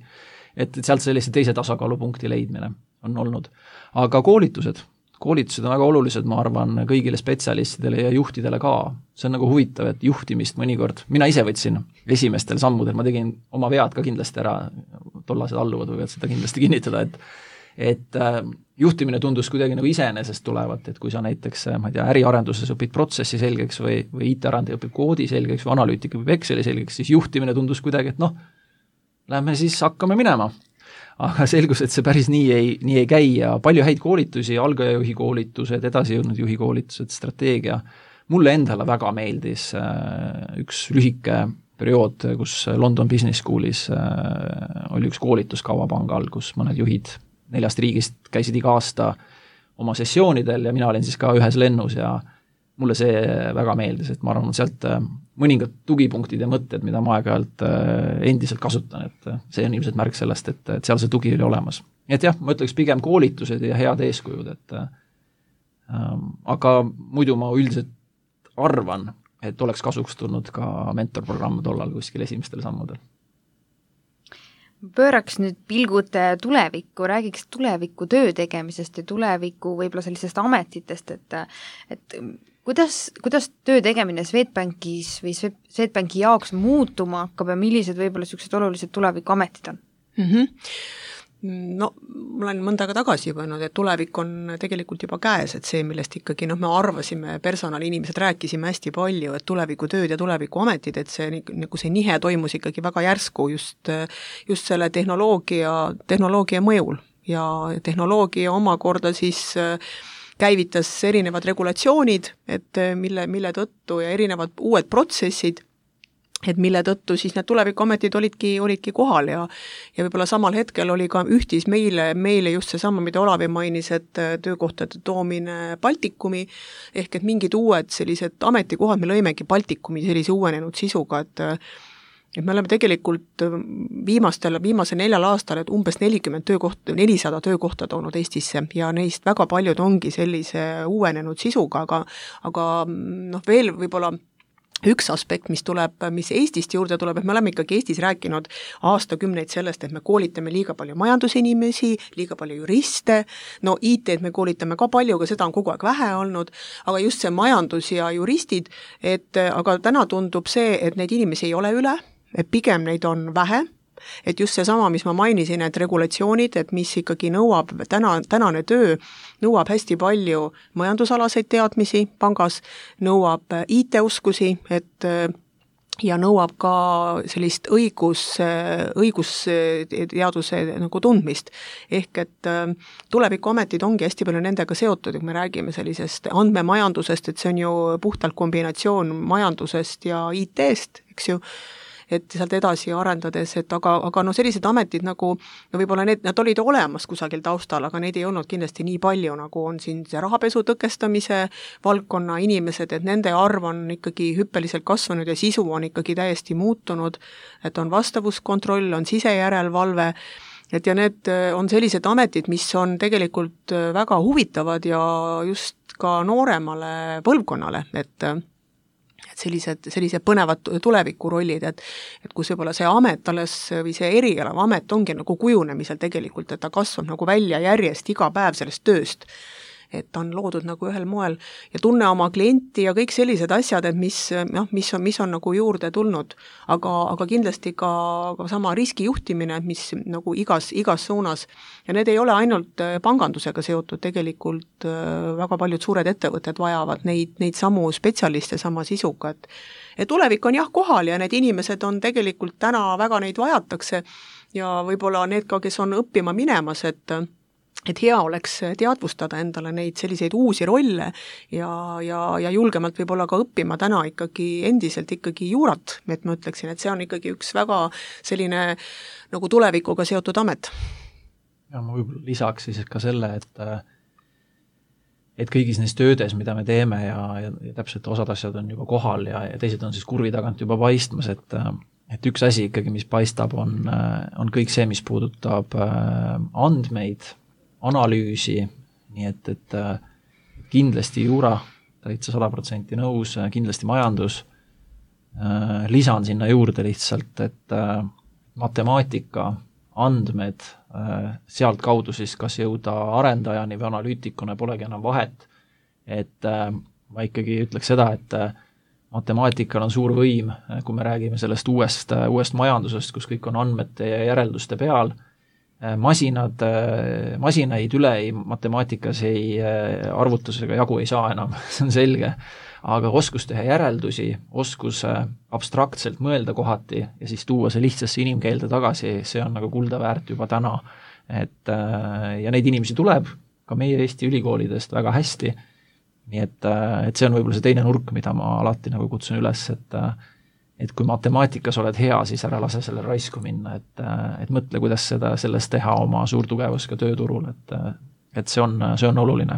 et sealt sellise teise tasakaalupunkti leidmine on olnud. Aga koolitused on väga olulised, ma arvan, kõigile spetsialistidele ja juhtidele ka. See on nagu huvitav, et juhtimist mõnikord, mina ise võtsin esimestel sammudel, ma tegin oma vead ka kindlasti ära, tollased alluvad võivad seda kindlasti kinnitada, et juhtimine tundus kuidagi nagu iseenesest tulevat, et kui sa näiteks, ma ei tea, äriarenduses õpid protsessi selgeks või IT-arendaja õpib koodi selgeks või analüütika õpib Exceli selgeks, siis juhtimine tundus kuidagi, et lähme siis hakkame minema. Aga selgus, et see päris nii ei käi ja palju häid koolitusi, algajajuhi koolitused, edasijõudnud juhi koolitused, strateegia. Mulle endale väga meeldis üks lühike periood, kus London Business Schoolis oli üks koolituskava panga all, kus mõned juhid 4 riigist käisid iga aasta oma sessioonidel ja mina olin siis ka ühes lennus ja mulle see väga meeldis, et ma arvan, et sealt mõningad tugipunktid ja mõtted, mida ma aeg-ajalt endiselt kasutan, et see on ilmselt märk sellest, et seal see tugi oli olemas. Et jah, ma ütleks pigem koolitused ja head eeskujud, et aga muidu ma üldiselt arvan, et oleks kasuks tulnud ka mentorprogramm tollal kuskil esimestel sammudel. Pööraks nüüd pilgud tulevikku, räägiks tuleviku töö tegemisest ja tuleviku võib-olla sellisest ametitest, et kuidas töö tegemine Swedbankis või Swedbanki jaoks muutuma hakkab ja millised võib-olla sellised olulised tulevikuametid on? No, ma olen mõnda aega tagasi juba öelnud, et tulevik on tegelikult juba käes, et see, millest ikkagi me arvasime, personaliinimesed rääkisime hästi palju, et tulevikutööd ja tulevikuametid, et see, nagu see nihe toimus ikkagi väga järsku just selle tehnoloogia mõjul ja tehnoloogia omakorda siis käivitas erinevad regulatsioonid, et mille tõttu ja erinevad uued protsessid, et mille tõttu siis need tulevikuametid olidki kohal ja võib-olla samal hetkel oli ka ühtis meile just seesama, mida Olavi mainis, et töökohtade toomine Baltikumi, ehk et mingid uued sellised ametikohad, me lõimegi Baltikumi sellise uuenenud sisuga, et me oleme tegelikult viimase 4 aastal, et umbes 400 töökohta toonud Eestisse ja neist väga paljud ongi sellise uuenenud sisuga, aga veel võib-olla üks aspekt, mis Eestist juurde tuleb, et me oleme ikkagi Eestis rääkinud aastakümneid sellest, et me koolitame liiga palju majandusinimesi, liiga palju juriste, no IT-d me koolitame ka palju, aga seda on kogu aeg vähe olnud, aga just see majandus ja juristid, aga täna tundub see, et neid inimesi ei ole üle, et pigem neid on vähe, et just seesama, mis ma mainisin, et regulatsioonid, et mis ikkagi nõuab, tänane töö nõuab hästi palju majandusalaseid teadmisi pangas, nõuab IT-oskusi, ja nõuab ka sellist õigusteaduse nagu tundmist. Ehk et tulevikuametid ongi hästi palju nendega seotud, kui me räägime sellisest andmemajandusest, et see on ju puhtalt kombinatsioon majandusest ja IT-st, eks ju, et sealt edasi arendades, et aga sellised ametid nagu, võib-olla nad olid olemas kusagil taustal, aga neid ei olnud kindlasti nii palju, nagu on siin see rahapesu tõkestamise valdkonna inimesed, et nende arv on ikkagi hüppeliselt kasvanud ja sisu on ikkagi täiesti muutunud, et on vastavuskontroll, on sisejärelevalve, ja need on sellised ametid, mis on tegelikult väga huvitavad ja just ka nooremale põlvkonnale, et sellised põnevad tulevikurollid, et kus võib-olla see amet alles või see erialava amet ongi nagu kujunemisel tegelikult, et ta kasvab nagu välja järjest iga päev sellest tööst, et ta on loodud nagu ühel moel ja tunne oma klienti ja kõik sellised asjad, et mis on nagu juurde tulnud, aga kindlasti ka sama riskijuhtimine, mis nagu igas suunas ja need ei ole ainult pangandusega seotud, tegelikult väga paljud suured ettevõtted vajavad neid samu spetsialiste sama sisuga, et tulevik on jah kohal ja need inimesed on tegelikult täna väga neid vajatakse ja võib-olla need ka, kes on õppima minemas, et hea oleks teadvustada endale neid selliseid uusi rolle ja julgemalt võib-olla ka õppima täna endiselt juurat, et ma ütleksin, et see on ikkagi üks väga selline nagu tulevikuga seotud amet. Ja ma võib-olla lisaks siis ka selle, et kõigis neis töödes, mida me teeme ja täpselt osad asjad on juba kohal ja teised on siis kurvi tagant juba paistmas, et üks asi ikkagi, mis paistab, on kõik see, mis puudutab andmeid, analüüsi, nii et kindlasti juura, täitsa 100% nõus, kindlasti majandus, lisan sinna juurde lihtsalt, et matemaatika, andmed, sealt kaudu siis kas jõuda arendajani või analüütikuna polegi enam vahet, et ma ikkagi ütleks seda, et matemaatikal on suur võim, kui me räägime sellest uuest majandusest, kus kõik on andmete ja järelduste peal, masinaid matemaatikas arvutusega jagu ei saa enam, see on selge, aga oskus teha järeldusi, oskus abstraktselt mõelda kohati ja siis tuua see lihtsasse inimkeelde tagasi, see on nagu kulda väärt juba täna. Ja neid inimesi tuleb ka meie Eesti ülikoolidest väga hästi, nii et see on võib-olla see teine nurk, mida ma alati nagu kutsun üles, et kui matemaatikas oled hea, siis ära lase selle raisku minna, et mõtle, kuidas sellest teha oma suurtugevusega tööturul, et see on oluline.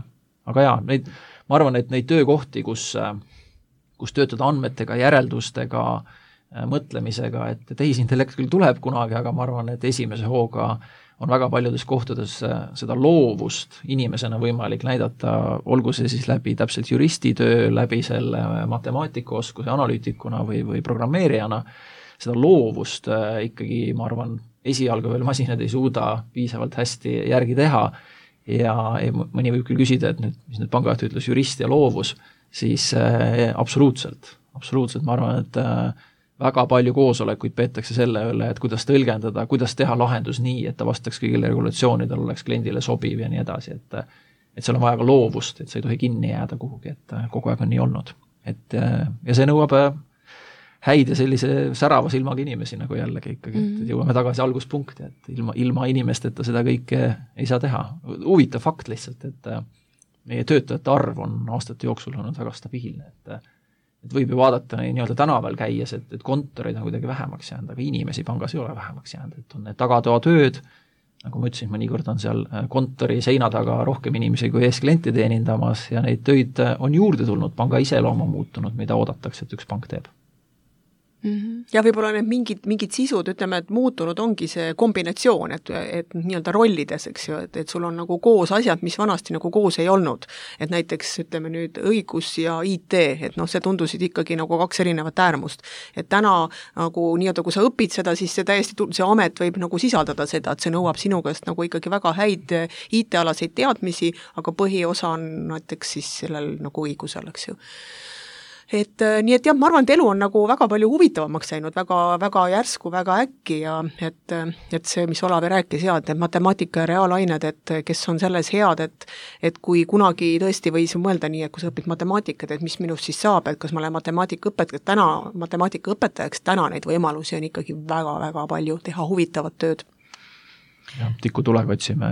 Aga jaa, ma arvan, et neid töökohti, kus töötada andmetega, järeldustega, mõtlemisega, et tehisintellekt küll tuleb kunagi, aga ma arvan, et esimese hooga on väga paljudes kohtades seda loovust inimesena võimalik näidata, olgu see siis läbi täpselt juristitöö, läbi selle matemaatikaoskuse analüütikuna või programmeerijana, seda loovust ikkagi, ma arvan, esialgu veel masinad ei suuda piisavalt hästi järgi teha ja mõni võib küll küsida, et nüüd, mis nüüd pangajuht ütles, jurist ja loovus, siis absoluutselt, ma arvan, et väga palju koosolekuid peetakse selle üle, et kuidas tõlgendada, kuidas teha lahendus nii, et ta vastaks kõigile regulatsioonidele, oleks kliendile sobiv ja nii edasi, et seal on vaja ka loovust, et sa ei tohi kinni jääda kuhugi, et kogu aeg on nii olnud. Ja see nõuab häid ja sellise särava silmaga inimesi nagu jällegi ikkagi, et jõuame tagasi alguspunkti, et ilma inimesteta seda kõike ei saa teha. Huvitav fakt lihtsalt, et meie töötajate arv on aastate jooksul olnud väga stabiilne, et võib ju vaadata nii-öelda tänaval käies, et kontorid on kuidagi vähemaks jäänud, aga inimesi pangas ei ole vähemaks jäänud, et on need tagatoatööd, nagu ma ütlesin, mõnikord on seal kontori seina taga rohkem inimesi kui ees klienti teenindamas ja neid töid on juurde tulnud, panga iseloom on muutunud, mida oodatakse, et üks pank teeb. Ja võib-olla need mingid sisud, ütleme, et muutunud ongi see kombinatsioon, et nii-öelda rollides, eks ju, et sul on nagu koos asjad, mis vanasti nagu koos ei olnud. Et näiteks, ütleme nüüd õigus ja IT, et see tundusid ikkagi nagu kaks erinevat äärmust. Et täna nagu nii-öelda, kui sa õpid seda, siis see amet võib nagu sisaldada seda, et see nõuab sinu käest nagu ikkagi väga häid IT-alaseid teadmisi, aga põhiosa on näiteks siis sellel nagu õigusel, eks ju. Nii et jah, ma arvan, et elu on nagu väga palju huvitavamaks läinud, väga, väga järsku, väga äkki ja et see, mis Olavi rääkis, et matemaatika ja reaalained, et kes on selles head, et kui kunagi tõesti võis mõelda nii, et kui sa õpid matemaatikat, et mis minust siis saab, et kas ma olen matemaatikaõpetajaks, täna neid võimalusi on ikkagi väga-väga palju teha huvitavat tööd. Ja, tikutulega otsime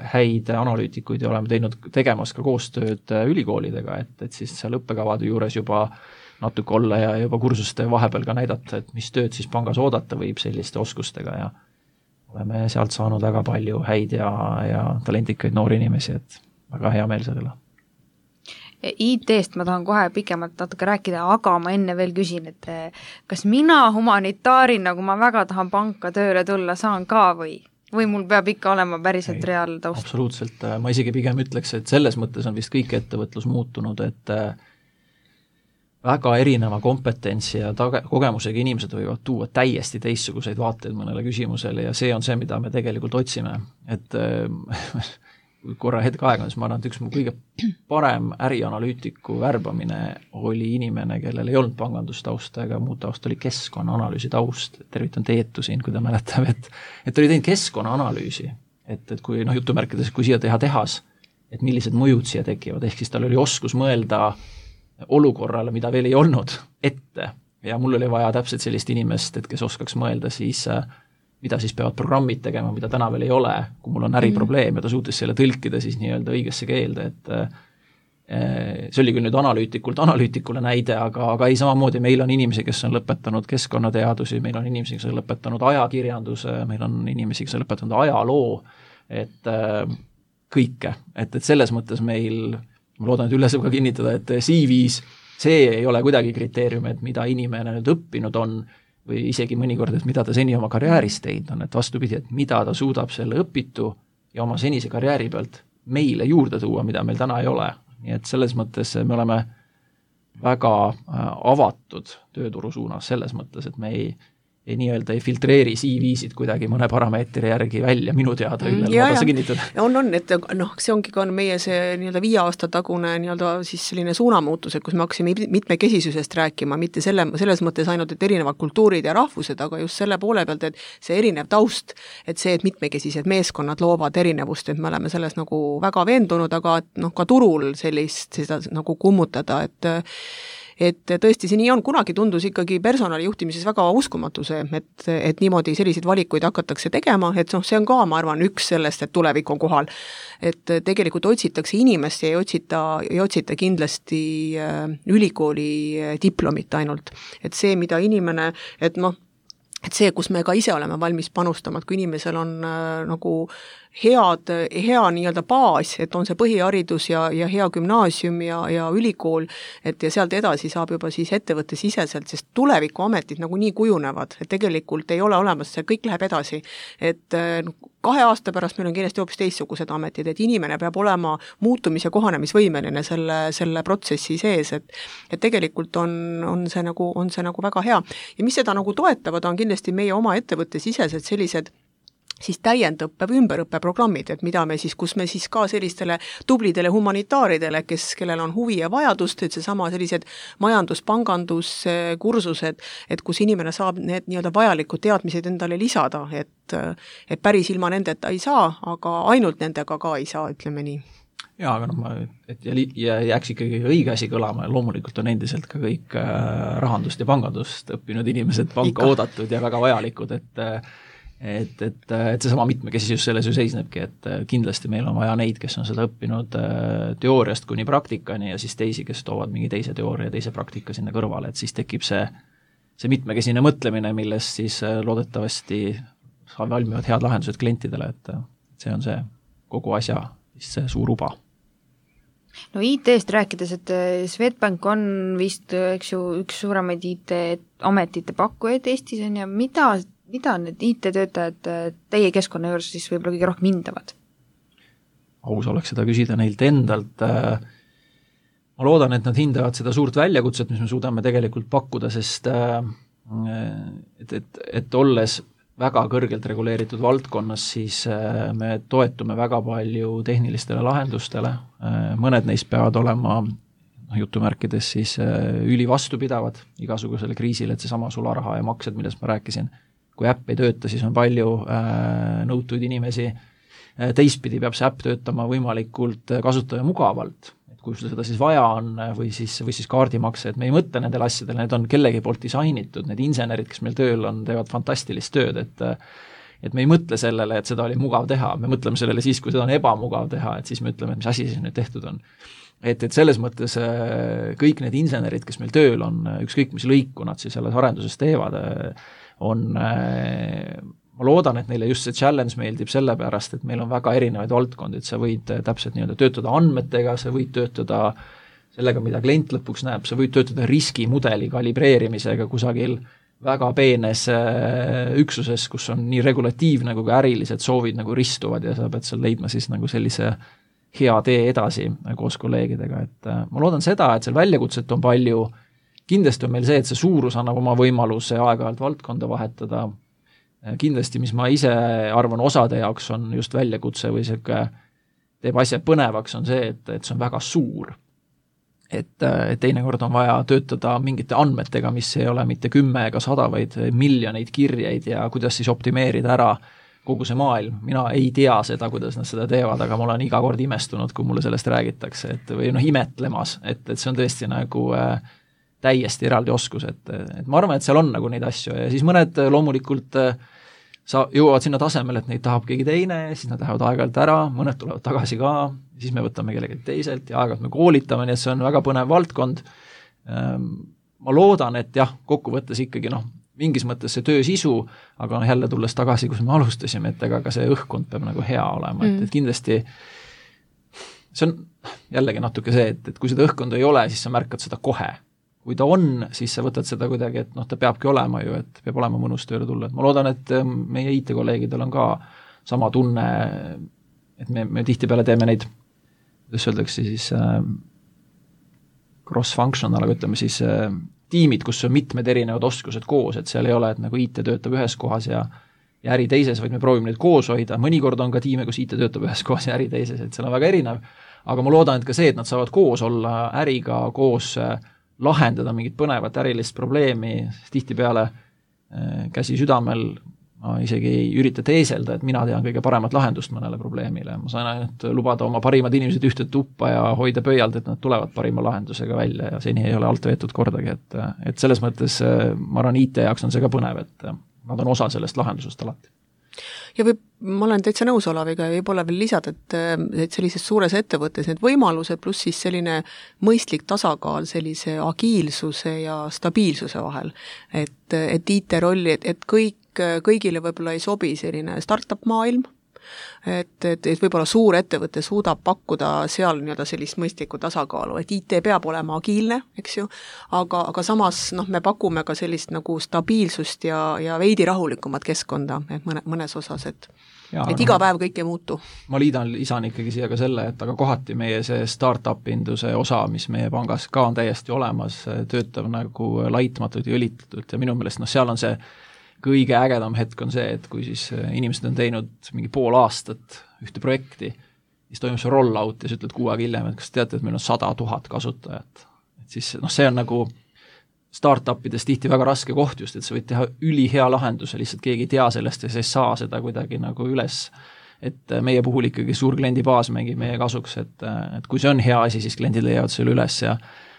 häid analüütikuid ja oleme tegemas ka koostööd ülikoolidega, et siis seal õppekavade juures juba natuke olla ja juba kursuste vahepeal ka näidata, et mis tööd siis pangas oodata võib selliste oskustega ja oleme sealt saanud väga palju häid ja talentikaid noori inimesi, et väga hea meel sellele. IT-st ma tahan kohe pikemalt natuke rääkida, aga ma enne veel küsin, et kas mina humanitaarina, kui ma väga tahan panka tööle tulla, saan ka või mul peab ikka olema päriselt reaaltaust? Absoluutselt, ma isegi pigem ütleks, et selles mõttes on vist kõik ettevõtlus muutunud, et väga erineva kompetentsi ja kogemusega inimesed võivad tuua täiesti teistsuguseid vaateid mõnele küsimusele ja see on see, mida me tegelikult otsime, et korra hetk aega, siis ma arvan, et üks mu kõige parem ärianalüütiku värbamine oli inimene, kellel ei olnud pangandustausta ega muud taust, oli keskkonnaanalüüsi taust. Tervitan Teetu siin, kui ta mäletab, et oli teinud keskkonnaanalüüsi, et kui jutumärkides, kui siia teha tehas, et millised mõjud siia tekivad, ehk siis tal oli oskus mõelda olukorrale, mida veel ei olnud ette ja mul oli vaja täpselt sellist inimest, et kes oskaks mõelda siis mida siis peavad programmid tegema, mida täna veel ei ole, kui mul on äriprobleem ja ta suutis selle tõlkida siis nii-öelda õigesse keelde, et see oli küll nüüd analüütikule näide, aga ei samamoodi, meil on inimesi, kes on lõpetanud keskkonnateadusi, meil on inimesi, kes on lõpetanud ajakirjanduse, meil on inimesi, kes on lõpetanud ajaloo, et kõike, et selles mõttes meil, ma loodan, et Ülle saab ka kinnitada, et CV-s see ei ole kuidagi kriteerium, et mida inimene nüüd õppinud on, või isegi mõnikord, et mida ta seni oma karjääris teinud on, et vastupidi, et mida ta suudab selle õpitu ja oma senise karjääri pealt meile juurde tuua, mida meil täna ei ole. Nii et selles mõttes me oleme väga avatud tööturu suunas selles mõttes, et me ei nii-öelda ei filtreeri CV-sid kuidagi mõne parameetri järgi välja, minu teada Üllel, ma tasa kinnitada. On, et see ongi ka meie see nii-öelda 5 aasta tagune nii-öelda siis selline suunamuutus, et kus me hakkasime mitmekesisusest rääkima, mitte selles mõttes ainult, et erinevad kultuurid ja rahvused, aga just selle poole pealt, et see erinev taust, et see, et mitmekesised meeskonnad loovad erinevust, et me oleme selles nagu väga veendunud, aga ka turul seda nagu kummutada, et tõesti see nii on, kunagi tundus ikkagi personalijuhtimises väga uskumatu see, et niimoodi selliseid valikuid hakatakse tegema, et see on ka, ma arvan, üks sellest, et tulevik on kohal. Et tegelikult otsitakse inimest ja ei otsita kindlasti ülikooli diplomit ainult. Et see, mida inimene, et see, kus me ka ise oleme valmis panustama, et kui inimesel on nagu hea nii-öelda baas, et on see põhiharidus ja hea gümnaasium ja ülikool, et ja sealt edasi saab juba siis ettevõtte siseselt, sest tulevikuametid nagu nii kujunevad, et tegelikult ei ole olemas, see kõik läheb edasi. Et 2 aasta pärast meil on kindlasti hoopis teistsugused ametid, et inimene peab olema muutumis- ja kohanemisvõimeline selle protsessi sees, et tegelikult on see nagu väga hea. Ja mis seda nagu toetavad, on kindlasti meie oma ettevõtte sisesed sellised siis täiendõppe või ümberõppeprogrammid, et mida me siis, kus me siis ka sellistele tublidele humanitaaridele, kellel on huvi ja vajadust, et seesama sellised majandus-panganduskursused, et kus inimene saab need nii-öelda vajalikud teadmised endale lisada, et päris ilma nendeta ei saa, aga ainult nendega ka ei saa, ütleme nii. Jaa, aga et jääks ikkagi õige asi kõlama ja loomulikult on endiselt ka kõik rahandust ja pangandust õppinud inimesed panka oodatud ja väga vajalikud, et seesama mitmekesisus selles ju seisnebki, et kindlasti meil on vaja neid, kes on seda õppinud teooriast kuni praktikani ja siis teisi, kes toovad mingi teise teooria ja teise praktika sinna kõrvale, et siis tekib see mitmekesine mõtlemine, millest siis loodetavasti valmivad head lahendused klientidele, et see on see kogu asja see suur uba. No IT-st rääkides, et Swedbank on vist, eks ju, üks suuremaid IT-ametite pakkujaid Eestis on ja mida need IT-töötajad teie keskkonna juures siis võib-olla kõige rohkem hindavad? Aus oleks seda küsida neilt endalt. Ma loodan, et nad hindavad seda suurt väljakutset, mis me suudame tegelikult pakkuda, sest et olles väga kõrgelt reguleeritud valdkonnas, siis me toetume väga palju tehnilistele lahendustele. Mõned neist peavad olema jutumärkides siis ülivastupidavad igasugusele kriisile, et seesama sularaha ja maksed, millest ma rääkisin. Kui äpp ei tööta, siis on palju nõutuid inimesi. Teistpidi peab see äpp töötama võimalikult kasutaja mugavalt. Et kui seda siis vaja on või siis kaardimakse, et me ei mõtle nendele asjadele, need on kellegi poolt disainitud, need insenerid, kes meil tööl on, teevad fantastilist tööd, et me ei mõtle sellele, et seda oli mugav teha, me mõtleme sellele siis, kui seda on ebamugav teha, et siis me ütleme, et mis asi siis nüüd tehtud on. Et selles mõttes kõik need insenerid, kes meil tööl on, ükskõik mis lõiku nad siis selles arenduses teevad, ma loodan, et neile just see challenge meeldib sellepärast, et meil on väga erinevaid valdkondi, et sa võid täpselt nii-öelda töötada andmetega, sa võid töötada sellega, mida klient lõpuks näeb, sa võid töötada riskimudeli kalibreerimisega kusagil väga peenes üksuses, kus on nii regulatiivne kui ka ärilised soovid nagu ristuvad ja sa pead seal leidma siis nagu sellise hea tee edasi koos kolleegidega, et ma loodan seda, et seal väljakutset on palju, kindlasti on meil see, et see suurus annab oma võimaluse aeg-ajalt valdkonda vahetada, kindlasti, mis ma ise arvan osade jaoks on just väljakutse või see teeb asja põnevaks, on see, et see on väga suur. Et teinekord on vaja töötada mingite andmetega, mis ei ole mitte 10 ega 100, vaid miljoneid kirjeid ja kuidas siis optimeerida ära kogu see maailm. Mina ei tea seda, kuidas nad seda teevad, aga ma olen iga kord imestunud, kui mulle sellest räägitakse, või imetlemas, et see on tõesti nagu täiesti eraldi oskus, et ma arvan, et seal on nagu neid asju ja siis mõned loomulikult jõuavad sinna tasemel, et neid tahab keegi teine, siis nad lähevad aeg-ajalt ära, mõned tulevad tagasi ka, siis me võtame kellegi teiselt ja aeg-ajalt me koolitame, nii et see on väga põnev valdkond. Ma loodan, et jah, kokkuvõttes ikkagi mingis mõttes see töö sisu, aga jälle tulles tagasi, kus me alustasime, et ega ka see õhkkond peab nagu hea olema, et kindlasti see on jällegi natuke see, et kui seda õhkkonda ei ole, siis sa märkad seda kohe. Kui ta on, siis sa võtad seda kuidagi, et ta peabki olema ju, et peab olema mõnus tööle tulla. Et ma loodan, et meie IT-kolleegidel on ka sama tunne, et me tihtipeale teeme neid, kuidas öeldakse siis cross-functional, aga ütleme siis tiimid, kus on mitmed erinevad oskused koos, et seal ei ole, et nagu IT töötab ühes kohas ja äri teises, vaid me proovime neid koos hoida. Mõnikord on ka tiime, kus IT töötab ühes kohas ja äri teises, et seal on väga erinev. Aga ma loodan, et ka see, et nad saavad koos olla äriga, koos lahendada mingit põnevat ärilist probleemi, tihtipeale käsi südamel, ma isegi ei ürita teeselda, et mina tean kõige paremat lahendust mõnele probleemile, ma saan ainult lubada oma parimad inimesed ühte tuppa ja hoida pöialt, et nad tulevad parima lahendusega välja ja seni ei ole alt veetud kordagi, et selles mõttes ma arvan, IT jaoks on see ka põnev, et nad on osa sellest lahendusest alati. Ja ma olen täitsa nõus Olaviga ja võib-olla veel lisada, et sellises suures ettevõttes need võimalused pluss siis selline mõistlik tasakaal sellise agiilsuse ja stabiilsuse vahel. Et IT-rolli, et kõigile võib-olla ei sobi selline startup maailm, et võib-olla suur ettevõte suudab pakkuda seal nii-öelda sellist mõistlikku tasakaalu, et IT peab olema agiilne, eks ju, aga samas me pakume ka sellist nagu stabiilsust ja veidi rahulikumat keskkonda, et mõnes osas, et iga päev kõik ei muutu. Ma lisan ikkagi siia ka selle, et aga kohati meie see startup-induse osa, mis meie pangas ka on täiesti olemas, töötav nagu laitmatult ja õlitatult ja minu meelest seal on see kõige ägedam hetk on see, et kui siis inimesed on teinud mingi pool aastat ühte projekti, siis toimub see roll-out ja sa ütled 6 aega hiljem, et kas teate, et meil on 100 000 kasutajat. Et siis see on nagu startupides tihti väga raske koht just, et sa võid teha ülihea lahenduse, lihtsalt keegi ei tea sellest ja sa ei saa seda kuidagi nagu üles. Et meie puhul ikkagi suur kliendibaas mängib meie kasuks, et kui see on hea asi, siis kliendid leiavad selle üles ja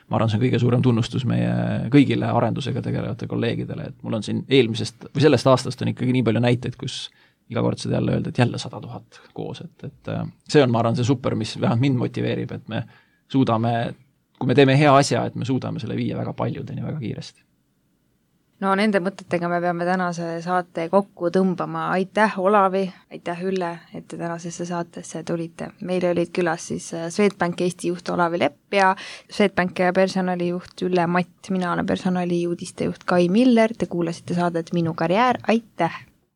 ma arvan, see on kõige suurem tunnustus meie kõigile arendusega tegelevate kolleegidele, et mul on siin eelmisest või sellest aastast on ikkagi nii palju näiteid, kus iga kord seda jälle öelda, et jälle 100 000 koos, et see on, ma arvan, see super, mis vähemalt mind motiveerib, et me suudame, kui me teeme hea asja, et me suudame selle viia väga paljudeni väga kiiresti. No nende mõtetega me peame tänase saate kokku tõmbama. Aitäh Olavi, aitäh Ülle, et te tänasesse saatesse tulite. Meil olid külas siis Swedbank Eesti juht Olavi Lepp ja Swedbank personalijuht Ülle Matt. Mina olen personaliuudistejuht Kai Miller. Te kuulasite saadet Minu karjäär. Aitäh!